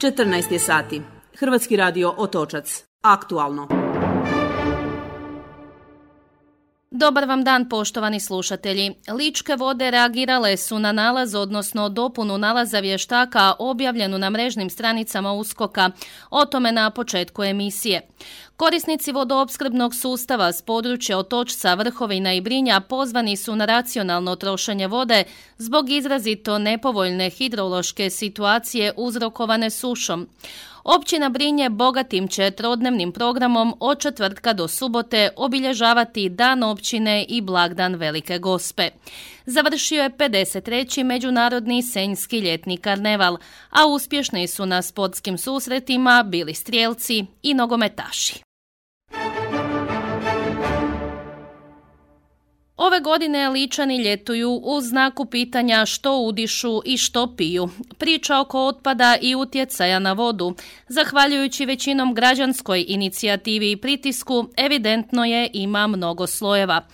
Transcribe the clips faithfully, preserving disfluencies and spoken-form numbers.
četrnaest je sati. Hrvatski radio Otočac. Aktualno. Dobar vam dan, poštovani slušatelji. Ličke vode reagirale su na nalaz, odnosno dopunu nalaza vještaka objavljenu na mrežnim stranicama USKOK-a. O tome na početku emisije. Korisnici vodoopskrbnog sustava s područja Otočca, Vrhovina i Brinja pozvani su na racionalno trošenje vode zbog izrazito nepovoljne hidrološke situacije uzrokovane sušom. Općina Brinje bogatim će trodnevnim programom od četvrtka do subote obilježavati Dan općine i blagdan Velike Gospe. Završio je pedeset treći Međunarodni senjski ljetni karneval, a uspješni su na sportskim susretima bili strijelci i nogometaši. Ove godine Ličani ljetuju u znaku pitanja što udišu i što piju. Priča oko otpada i utjecaja na vodu, zahvaljujući većinom građanskoj inicijativi i pritisku, evidentno je ima mnogo slojeva.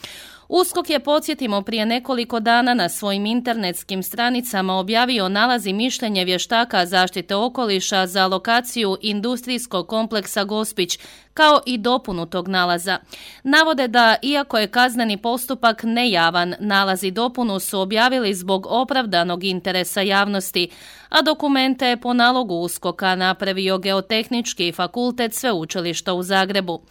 USKOK je, podsjetimo, prije nekoliko dana na svojim internetskim stranicama objavio nalaz i mišljenje vještaka zaštite okoliša za lokaciju industrijskog kompleksa Gospić, kao i dopunu tog nalaza. Navode da, iako je kazneni postupak nejavan, nalaz i dopunu su objavili zbog opravdanog interesa javnosti, a dokumente je po nalogu USKOK-a napravio Geotehnički fakultet Sveučilišta u Zagrebu.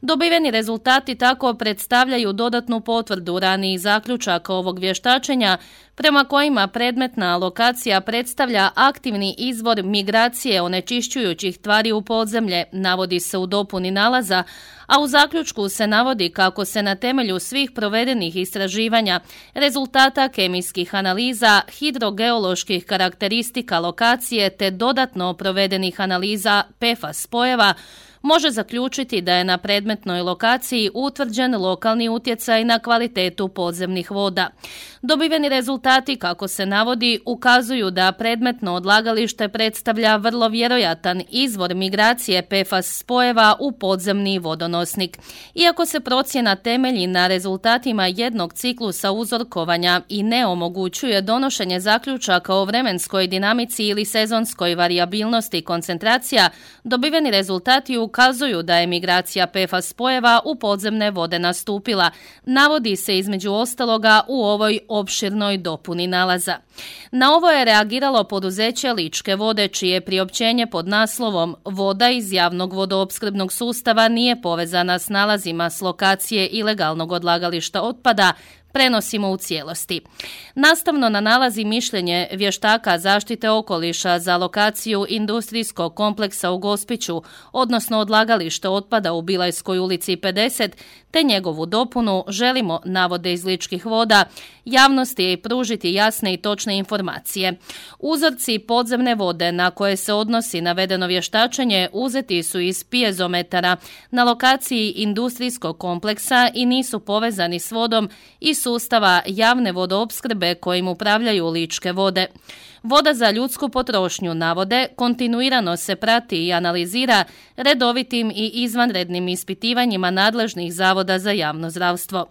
Dobiveni rezultati tako predstavljaju dodatnu potvrdu ranijih zaključaka ovog vještačenja, prema kojima predmetna lokacija predstavlja aktivni izvor migracije onečišćujućih tvari u podzemlje, navodi se u dopuni nalaza, a u zaključku se navodi kako se na temelju svih provedenih istraživanja, rezultata kemijskih analiza, hidrogeoloških karakteristika lokacije te dodatno provedenih analiza P F A S spojeva, može zaključiti da je na predmetnoj lokaciji utvrđen lokalni utjecaj na kvalitetu podzemnih voda. Dobiveni rezultati, kako se navodi, ukazuju da predmetno odlagalište predstavlja vrlo vjerojatan izvor migracije P F A S spojeva u podzemni vodonosnik. Iako se procjena temelji na rezultatima jednog ciklusa uzorkovanja i ne omogućuje donošenje zaključaka o vremenskoj dinamici ili sezonskoj varijabilnosti koncentracija, dobiveni rezultati ukazuju da je migracija P F A S spojeva u podzemne vode nastupila, navodi se između ostaloga u ovoj opširnoj dopuni nalaza. Na ovo je reagiralo poduzeće Ličke vode, čije priopćenje pod naslovom "Voda iz javnog vodoopskrbnog sustava nije povezana s nalazima s lokacije ilegalnog odlagališta otpada" prenosimo u cijelosti. Nastavno na nalaz i mišljenje vještaka zaštite okoliša za lokaciju industrijskog kompleksa u Gospiću, odnosno odlagalište otpada u Bilajskoj ulici pedeset, te njegovu dopunu, želimo, navode iz Ličkih voda, javnosti pružiti jasne i točne informacije. Uzorci podzemne vode na koje se odnosi navedeno vještačenje uzeti su iz pijezometara na lokaciji industrijskog kompleksa i nisu povezani s vodom i sustava javne vodoopskrbe kojim upravljaju Ličke vode. Voda za ljudsku potrošnju, navode, kontinuirano se prati i analizira redovitim i izvanrednim ispitivanjima nadležnih zavoda za javno zdravstvo.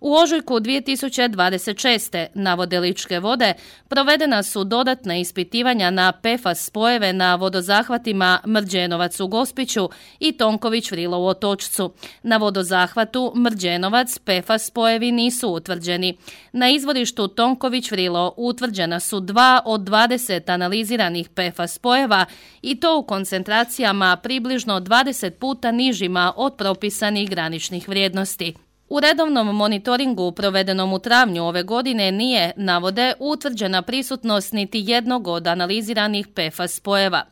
U ožujku dvije tisuće dvadeset šeste, navode Ličke vode, provedena su dodatna ispitivanja na P F A S spojeve na vodozahvatima Mrđenovac u Gospiću i Tonković Vrilo u Otočcu. Na vodozahvatu Mrđenovac P F A S spojevi nisu utvrđeni. Na izvorištu Tonković Vrilo utvrđena su dva od dvadeset analiziranih P F A S spojeva i to u koncentracijama približno dvadeset puta nižima od propisanih graničnih vrijednosti. U redovnom monitoringu provedenom u travnju ove godine nije, navode, utvrđena prisutnost niti jednog od analiziranih P F A S spojeva.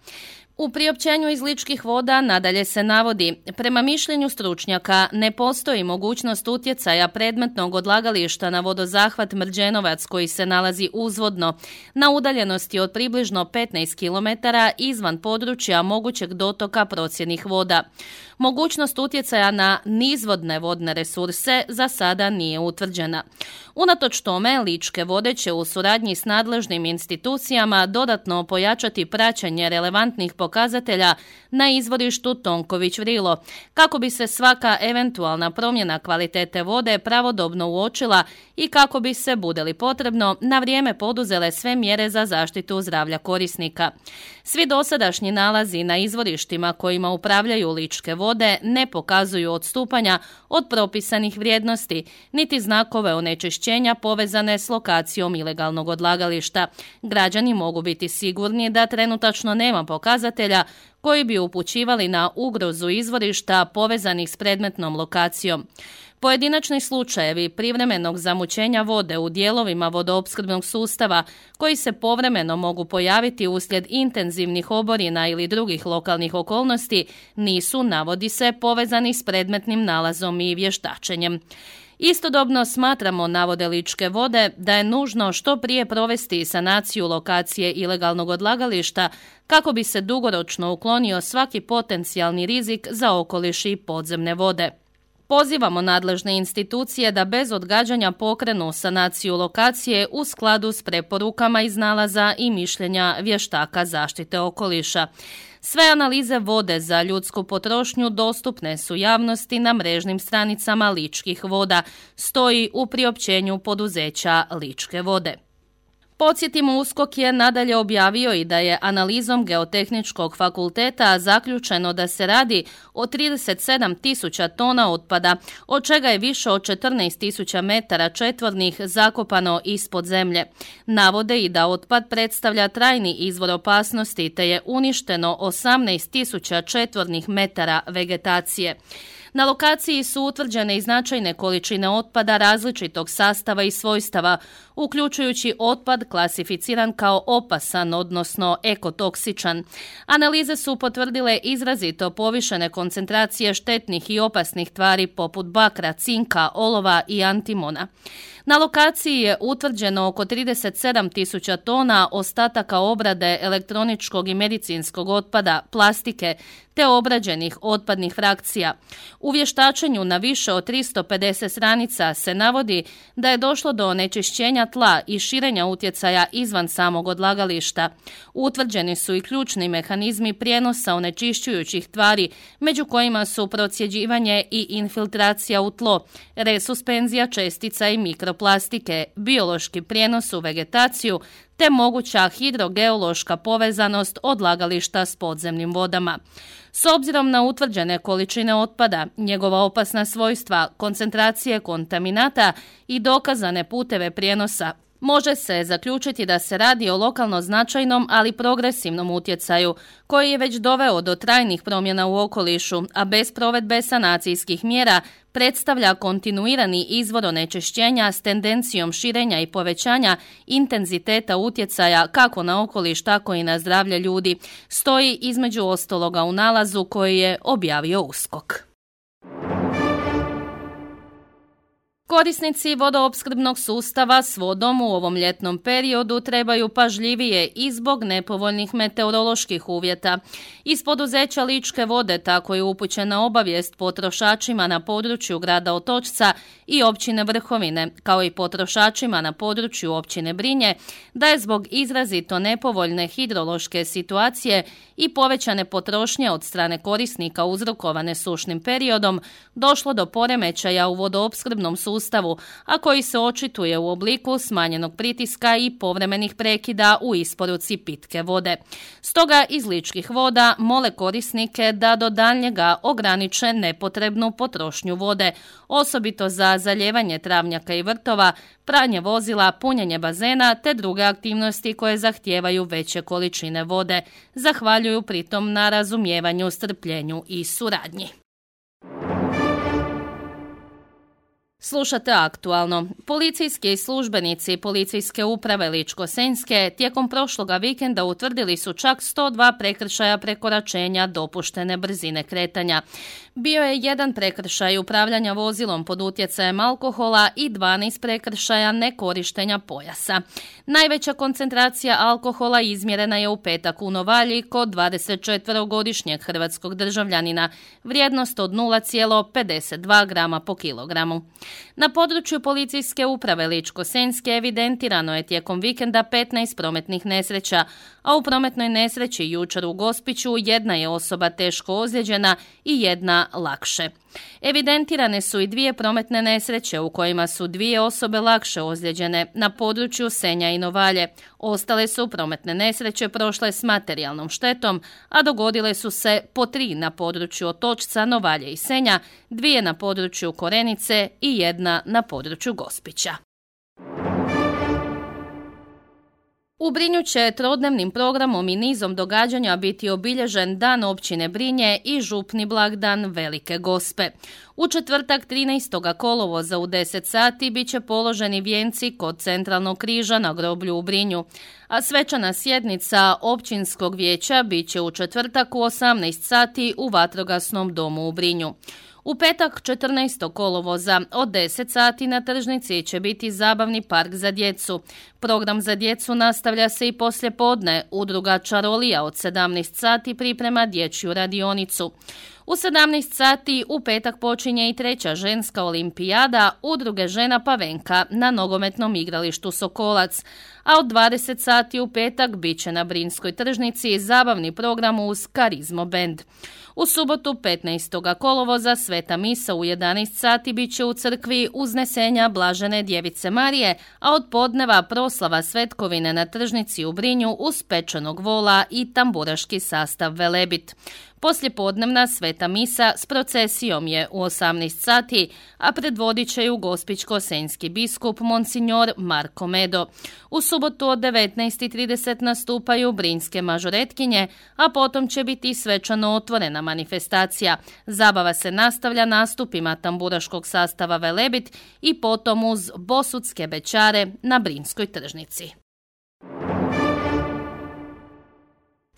U priopćenju iz Ličkih voda nadalje se navodi, prema mišljenju stručnjaka ne postoji mogućnost utjecaja predmetnog odlagališta na vodozahvat Mrđenovac koji se nalazi uzvodno, na udaljenosti od približno petnaest kilometara izvan područja mogućeg dotoka procjednih voda. Mogućnost utjecaja na nizvodne vodne resurse za sada nije utvrđena. Unatoč tome, Ličke vode će u suradnji s nadležnim institucijama dodatno pojačati praćenje relevantnih pokazatelja pokazatelja na izvorištu Tonković-Vrilo, kako bi se svaka eventualna promjena kvalitete vode pravodobno uočila i kako bi se, bude li potrebno, na vrijeme poduzele sve mjere za zaštitu zdravlja korisnika. Svi dosadašnji nalazi na izvorištima kojima upravljaju Ličke vode ne pokazuju odstupanja od propisanih vrijednosti, niti znakove onečišćenja povezane s lokacijom ilegalnog odlagališta. Građani mogu biti sigurni da trenutačno nema pokazatelja koji bi upućivali na ugrozu izvorišta povezanih s predmetnom lokacijom. Pojedinačni slučajevi privremenog zamućenja vode u dijelovima vodoopskrbnog sustava koji se povremeno mogu pojaviti uslijed intenzivnih oborina ili drugih lokalnih okolnosti nisu, navodi se, povezani s predmetnim nalazom i vještačenjem. Istodobno smatramo, navode Ličke vode, da je nužno što prije provesti sanaciju lokacije ilegalnog odlagališta kako bi se dugoročno uklonio svaki potencijalni rizik za okoliš i podzemne vode. Pozivamo nadležne institucije da bez odgađanja pokrenu sanaciju lokacije u skladu s preporukama iz nalaza i mišljenja vještaka zaštite okoliša. Sve analize vode za ljudsku potrošnju dostupne su javnosti na mrežnim stranicama Ličkih voda, stoji u priopćenju poduzeća Ličke vode. Podsjetimo, USKOK je nadalje objavio i da je analizom Geotehničkog fakulteta zaključeno da se radi o trideset sedam tisuća tona otpada, od čega je više od četrnaest tisuća metara četvornih zakopano ispod zemlje. Navode i da otpad predstavlja trajni izvor opasnosti te je uništeno osamnaest tisuća četvornih metara vegetacije. Na lokaciji su utvrđene i značajne količine otpada različitog sastava i svojstava, uključujući otpad klasificiran kao opasan, odnosno ekotoksičan. Analize su potvrdile izrazito povišene koncentracije štetnih i opasnih tvari poput bakra, cinka, olova i antimona. Na lokaciji je utvrđeno oko trideset sedam tisuća tona ostataka obrade elektroničkog i medicinskog otpada, plastike te obrađenih otpadnih frakcija. U vještačenju na više od tristo pedeset stranica se navodi da je došlo do onečišćenja tla i širenja utjecaja izvan samog odlagališta. Utvrđeni su i ključni mehanizmi prijenosa onečišćujućih tvari, među kojima su procjeđivanje i infiltracija u tlo, resuspenzija čestica i mikroplastike, biološki prijenos u vegetaciju, te moguća hidrogeološka povezanost odlagališta s podzemnim vodama. S obzirom na utvrđene količine otpada, njegova opasna svojstva, koncentracije kontaminata i dokazane puteve prijenosa, može se zaključiti da se radi o lokalno značajnom, ali progresivnom utjecaju, koji je već doveo do trajnih promjena u okolišu, a bez provedbe sanacijskih mjera predstavlja kontinuirani izvor onečišćenja s tendencijom širenja i povećanja intenziteta utjecaja kako na okoliš, tako i na zdravlje ljudi, stoji između ostaloga u nalazu koji je objavio USKOK. Korisnici vodoopskrbnog sustava s vodom u ovom ljetnom periodu trebaju pažljivije i zbog nepovoljnih meteoroloških uvjeta. Iz poduzeća Ličke vode tako je upućena obavijest potrošačima na području grada Otočca i općine Vrhovine, kao i potrošačima na području općine Brinje, da je zbog izrazito nepovoljne hidrološke situacije i povećane potrošnje od strane korisnika uzrokovane sušnim periodom došlo do poremećaja u vodoopskrbnom sustavu, a koji se očituje u obliku smanjenog pritiska i povremenih prekida u isporuci pitke vode. Stoga iz Ličkih voda mole korisnike da do daljnjega ograniče nepotrebnu potrošnju vode, osobito za zalijevanje travnjaka i vrtova, pranje vozila, punjenje bazena te druge aktivnosti koje zahtijevaju veće količine vode. Zahvaljuju pritom na razumijevanju, strpljenju i suradnji. Slušate aktualno. Policijski službenici Policijske uprave Ličko-senjske tijekom prošloga vikenda utvrdili su čak sto dva prekršaja prekoračenja dopuštene brzine kretanja. Bio je jedan prekršaj upravljanja vozilom pod utjecajem alkohola i dvanaest prekršaja nekorištenja pojasa. Najveća koncentracija alkohola izmjerena je u petak u Novalji kod dvadesetčetverogodišnjeg hrvatskog državljanina, vrijednost od nula zarez pedeset dva grama po kilogramu. Na području policijske uprave Ličko-senjske evidentirano je tijekom vikenda petnaest prometnih nesreća, a u prometnoj nesreći jučer u Gospiću jedna je osoba teško ozlijeđena i jedna lakše. Evidentirane su i dvije prometne nesreće u kojima su dvije osobe lakše ozlijeđene na području Senja i Novalje. Ostale su prometne nesreće prošle s materijalnom štetom, a dogodile su se po tri na području Otočca, Novalje i Senja, dvije na području Korenice i jedna na području Gospića. U Brinju će trodnevnim programom i nizom događanja biti obilježen Dan općine Brinje i župni blagdan Velike Gospe. U četvrtak trinaestog kolovoza u deset sati bit će položeni vijenci kod Centralnog križa na groblju u Brinju, a svečana sjednica općinskog vijeća bit će u četvrtak u osamnaest sati u Vatrogasnom domu u Brinju. U petak četrnaestog kolovoza od deset sati na tržnici će biti zabavni park za djecu. Program za djecu nastavlja se i poslijepodne. Udruga Čarolija od sedamnaest sati priprema dječju radionicu. U sedamnaest sati u petak počinje i treća ženska olimpijada Udruge žena Pavenka na nogometnom igralištu Sokolac, a od dvadeset sati u petak bit će na Brinskoj tržnici zabavni program uz Karizmo band. U subotu petnaestog kolovoza sveta misa u jedanaest sati bit će u crkvi Uznesenja Blažene Djevice Marije, a od podneva proslava svetkovine na tržnici u Brinju uz pečenog vola i tamburaški sastav Velebit. Poslijepodnevna sveta misa s procesijom je u osamnaest sati, a predvodit će ju gospićko-senjski biskup Monsignor Marko Medo. U subotu od devetnaest i trideset nastupaju brinjske mažoretkinje, a potom će biti svečano otvorena manifestacija. Zabava se nastavlja nastupima tamburaškog sastava Velebit i potom uz bosutske bećare na Brinjskoj tržnici.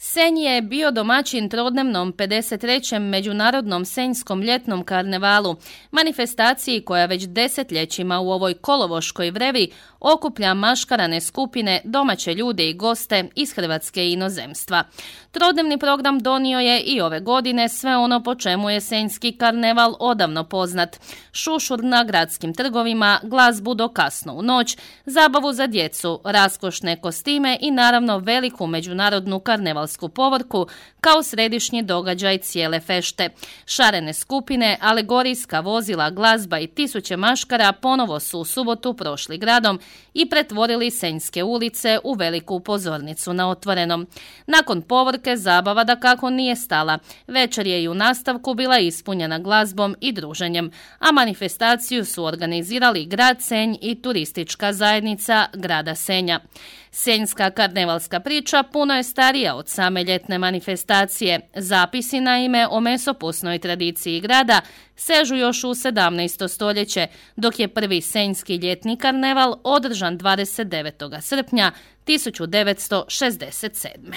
Senj je bio domaćin trodnevnom pedeset trećem Međunarodnom senjskom ljetnom karnevalu, manifestaciji koja već desetljećima u ovoj kolovoškoj vrevi okuplja maškarane skupine, domaće ljude i goste iz Hrvatske i inozemstva. Trodnevni program donio je i ove godine sve ono po čemu je senjski karneval odavno poznat. Šušur na gradskim trgovima, glazbu do kasno u noć, zabavu za djecu, raskošne kostime i naravno veliku međunarodnu karnevalsku povorku kao središnji događaj cijele fešte. Šarene skupine, alegorijska vozila, glazba i tisuće maškara ponovo su u subotu prošli gradom i pretvorili senjske ulice u veliku pozornicu na otvorenom. Nakon povorke zabava dakako nije stala. Večer je i u nastavku bila ispunjena glazbom i druženjem, a manifestaciju su organizirali grad Senj i turistička zajednica grada Senja. Senjska karnevalska priča puno je starija od same ljetne manifestacije. Zapisi naime o mesopusnoj tradiciji grada sežu još u sedamnaesto stoljeće, dok je prvi senjski ljetni karneval održan dvadeset devetog srpnja tisuću devetsto šezdeset sedme.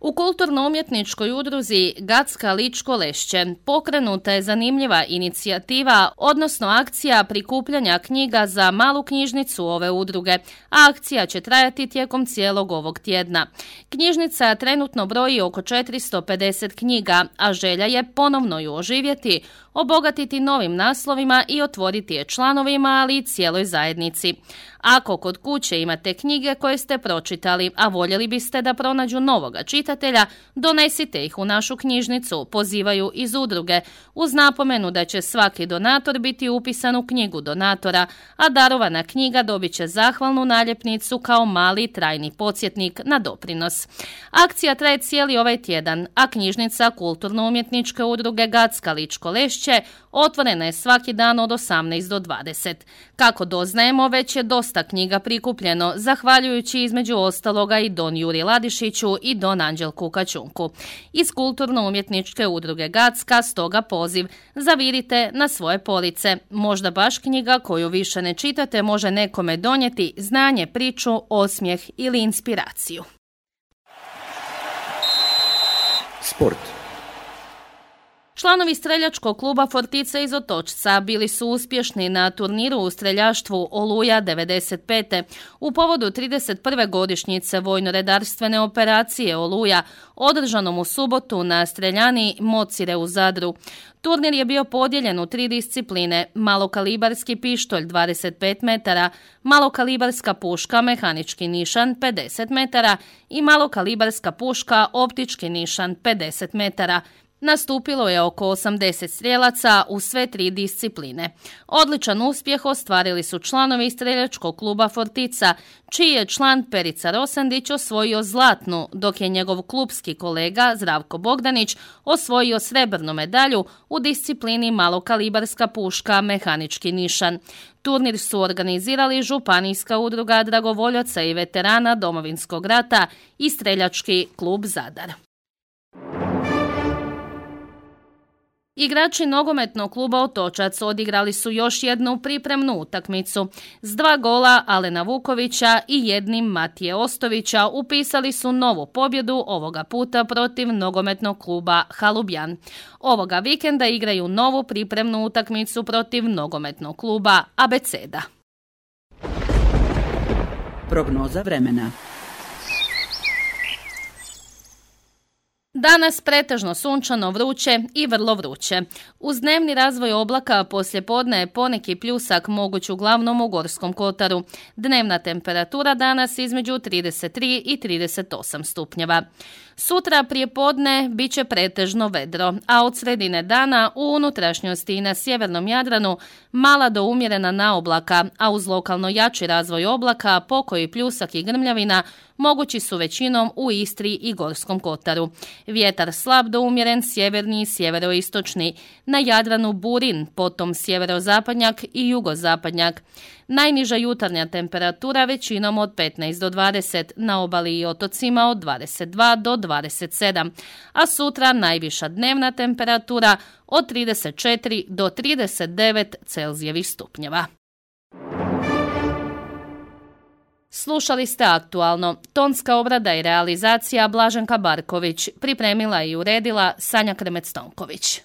U kulturno-umjetničkoj udruzi Gacka Ličko Lešće pokrenuta je zanimljiva inicijativa, odnosno akcija prikupljanja knjiga za malu knjižnicu ove udruge, a akcija će trajati tijekom cijelog ovog tjedna. Knjižnica trenutno broji oko četiristo pedeset knjiga, a želja je ponovno ju oživjeti, obogatiti novim naslovima i otvoriti je članovima, ali i cijeloj zajednici. Ako kod kuće imate knjige koje ste pročitali, a voljeli biste da pronađu novoga čitatelja, donesite ih u našu knjižnicu, pozivaju iz udruge, uz napomenu da će svaki donator biti upisan u knjigu donatora, a darovana knjiga dobit će zahvalnu naljepnicu kao mali trajni podsjetnik na doprinos. Akcija traje cijeli ovaj tjedan, a knjižnica kulturno-umjetničke udruge Gacka Ličko Lešće otvorena je svaki dan od osamnaest do dvadeset. Kako doznajemo, već je dosta knjiga prikupljeno, zahvaljujući između ostaloga i don Juri Ladišiću i don Anđelku Kačunku. Iz kulturno-umjetničke udruge Gacka stoga poziv: zavirite na svoje police. Možda baš knjiga koju više ne čitate može nekome donijeti znanje, priču, osmijeh ili inspiraciju. Sport. Članovi streljačkog kluba Fortica iz Otočca bili su uspješni na turniru u streljaštvu Oluja devedeset pete u povodu trideset prve godišnjice vojno-redarstvene operacije Oluja, održanom u subotu na streljani Mocire u Zadru. Turnir je bio podijeljen u tri discipline: malokalibarski pištolj dvadeset pet metara, malokalibarska puška mehanički nišan pedeset metara i malokalibarska puška optički nišan pedeset metara. Nastupilo je oko osamdeset strijelaca u sve tri discipline. Odličan uspjeh ostvarili su članovi streljačkog kluba Fortica, čiji je član Perica Rosandić osvojio zlatnu, dok je njegov klubski kolega Zdravko Bogdanić osvojio srebrnu medalju u disciplini malokalibarska puška mehanički nišan. Turnir su organizirali Županijska udruga dragovoljaca i veterana Domovinskog rata i streljački klub Zadar. Igrači nogometnog kluba Otočac odigrali su još jednu pripremnu utakmicu. S dva gola Alena Vukovića i jednim Matije Ostovića upisali su novu pobjedu, ovoga puta protiv nogometnog kluba Halubjan. Ovoga vikenda igraju novu pripremnu utakmicu protiv nogometnog kluba Abeceda. Prognoza vremena. Danas pretežno sunčano, vruće i vrlo vruće. Uz dnevni razvoj oblaka poslijepodne je poneki pljusak moguć uglavnom u Gorskom kotaru. Dnevna temperatura danas između trideset tri i trideset osam stupnjeva. Sutra prije podne bit će pretežno vedro, a od sredine dana u unutrašnjosti i na sjevernom Jadranu mala do umjerena naoblaka, a uz lokalno jači razvoj oblaka, pokoji pljusak i grmljavina mogući su većinom u Istri i Gorskom kotaru. Vjetar slab do umjeren, sjeverni i sjeveroistočni. Na Jadranu burin, potom sjeverozapadnjak i jugozapadnjak. Najniža jutarnja temperatura većinom od petnaest do dvadeset, na obali i otocima od dvadeset dva do dvadeset sedam, a sutra najviša dnevna temperatura od trideset četiri do trideset devet Celzijevih stupnjeva. Slušali ste Aktualno. Tonska obrada i realizacija Blaženka Barković. Pripremila i uredila Sanja Kremec-Tonković.